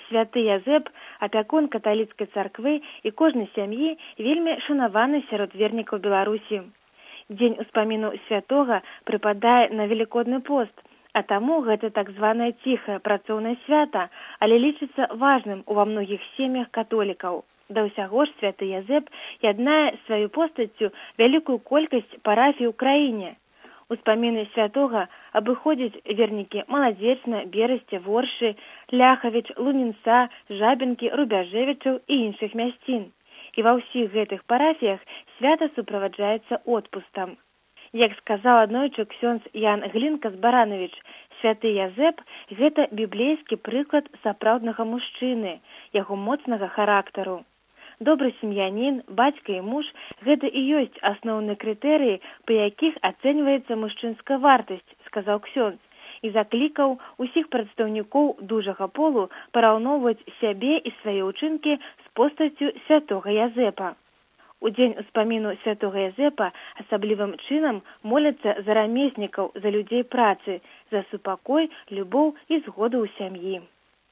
Святы Язэп, апякун каталіцкай царквы і кожнай сям'і вельмі шанаваны сярод вернікаў Беларусі. Дзень успаміну святога прыпадае на Велікодны пост, а таму гэта так званае ціхае працоўнае свята, але лічыцца важным ува многіх сем'ях католікаў. Да ўсяго ж святы Язэп яднае сваю постаццю вялікую колькасць парафій у краіне. Успаміны святога абыходзяць вернікі Маладзечна, Берасця, Воршы, Ляхавіч, Лунінца, Жабінкі, Рубяжэвічаў і іншых мясцін. І ва ўсіх гэтых парафіях свята суправаджаецца отпустам. Як сказаў аднойчы ксёндз Ян Глінка-Барановіч, святы Язэп – гэта біблейскі прыклад сапраўднага мужчыны, яго моцнага характару. Добры сем'янін, бацька і муж – гэта і ёсць асноўныя крытэрыі, па якіх ацэньваецца мужчынская вартасць, сказаў ксёндз, і заклікаў усіх прадстаўнікоў дужага полу параўноўваць сябе і свае ўчынкі з постаццю святога Язэпа. У дзень успаміну святога Язэпа асаблівым чынам моляцца за рамеснікаў, за людзей працы, за супакой, любоў і згоду ў сям'і.